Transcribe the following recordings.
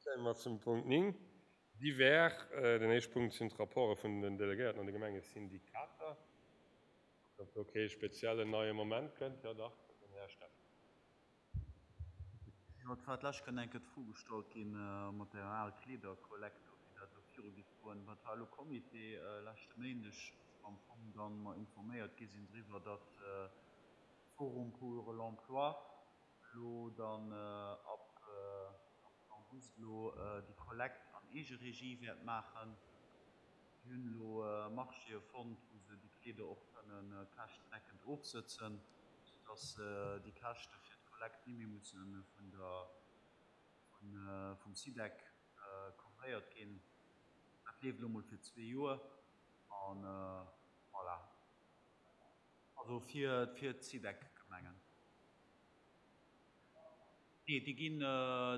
Kéime mer zum Punkt 9, Divers. Den éischte Punkt sinn d'Rapporte vun den Delegéierten an de Gemengesyndikater. Ob do kee speziellen neie Moment kënnt? Jo dach, den Här Steffen. Jo, et war d'lescht Kéier eng Kéier d'Fro gestallt gi mat der al Kleederkollekt do, wéi dat elo viru géif goen. Wat war elo Comité leschte Méindeg, wou am Fong dann mer informéiert gi sinn driwwer, datt Forum pour l'emploi elo dann ab August elo déi Kollekt an Eegeregie wäert maachen. Si hunn elo Marchéë fonnt, wou se déi Kleeder och kënne käschtendeckend ofsëtzen, soudass déi Käschte fir d'Kollekt ni méi musse vun der, vum SIDEC couvréiert ginn. Dat leeft elo mol fir zwee Joer a voilà. Also fir d'SIDEC-Gemengen. Nee, déi ginn,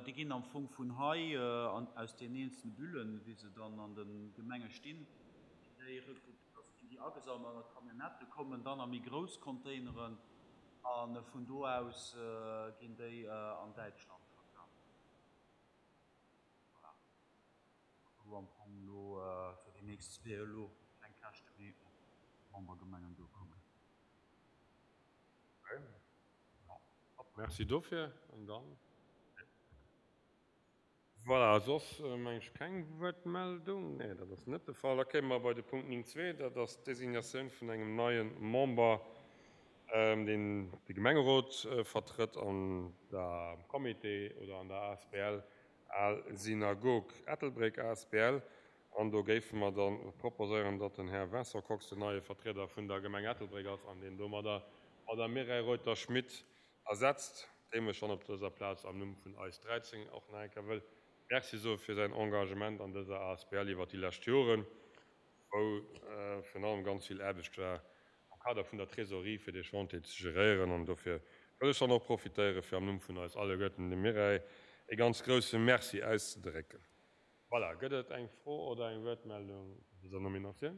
déi ginn am Fong vun hei an aus den eenzelne Bullen, wéi se dann an de Gemenge stinn, ginn déi also ginn déi agesammelt an d'Camionnettë kommen dann a méi grouss Containeren a vun do aus ginn déi an Däitschland verkaf. Voilà. Wou am Fong elo fir déi nächst zwee elo keng Käschte méi op d'Membergemengen duerkommen. Merci dofir. An dann, voilà, soss meng ech keng Wuertmeldung. Nee, dat ass net de Fall. Da kéime mer bei de Punkt 9.2, dat ass d'Designatioun vun engem neie Member, deen de Gemengerot vertrëtt an der Comité oder an der asbl Al Synagog Ettelbréck asbl. An do géife mer da proposéieren, datt den Här Vincent Kox den neie Vertrieder vun der Gemeng Ettelbréck ass an deen domadder d'Madame Mireille Reuter-Schmit ersetzt, deem ech dann op dëser Plaz am Numm vun eis 13 och nach eng Kéier wëll Merci soe fir säin Engagement an dëser asbl iwwert déi lescht Joren, wou virun allem ganz vill Aarbecht war am Kader vun der Trésorerie fir dee Chantier ze geréieren. An dofir wëll ech dann och profitéiere fir am Numm vun eis alleguerten dem Mireille e ganz grouse Merci auszedrécken. Voilà, gëtt et eng Fro oder eng Wuertmeldung zu dëser Nominatioun?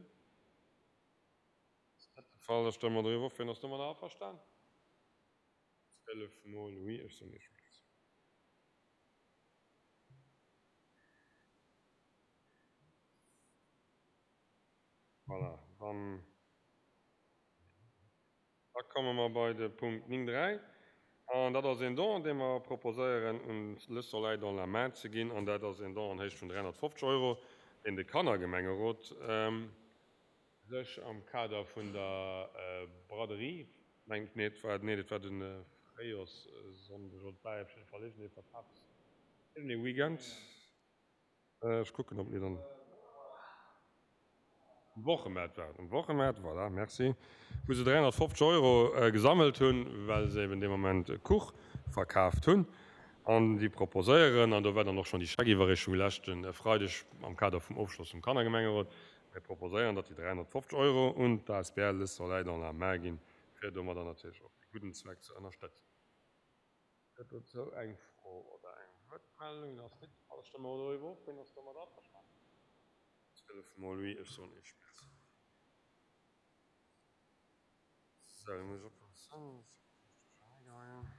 Ass net de Fall. Da stëmme mer doriwwer of. Wien ass domadder averstan? 12 mol oui. Ech soen Iech Merci. Voilà, dann. Da komme mer bei de Punkt 9, 3, an dat ass een Don, dee mer proposéieren un Le Soleil dans la main ze ginn, an dat ass een Don an Héicht vun 350 Euro, deen de Kannergemengerot sech am Kader vun der Braderie, mengen ech, nee, et war, nee, et war de Fréijoerssonndeg, oder et war op jidde Fall iergendee Verkafs-, iergendee Weekend. Ech kucken, ob mir dann um Wochemaart waren. Um Wochemaart, voilà, merci, wou se 350 Euro gesammelt hunn, well se eben dee Moment Kuch verkaaft hunn. An déi proposéieren, an do war dann och schonn déi Scheckiwwerreechung leschte Freideg am Kader vum Ofschloss vum Kannergemengerot, mir proposéieren, datt déi 350 Euro un d'ASBL Le Soleil dans la main ginn, fir domadder natierlech och dee gudden Zweck ze ënnerstëtzen. Gëtt dozou eng Fro oder eng Wuertmeldung? Dat ass net de Fall. Da stëmme mer doriwwer of. Wien ass domat averstanen? 12 mol oui. Ech soen Iech Merci. Sou, elo muss ech oppassen, dass ech dech duerchernee geheien.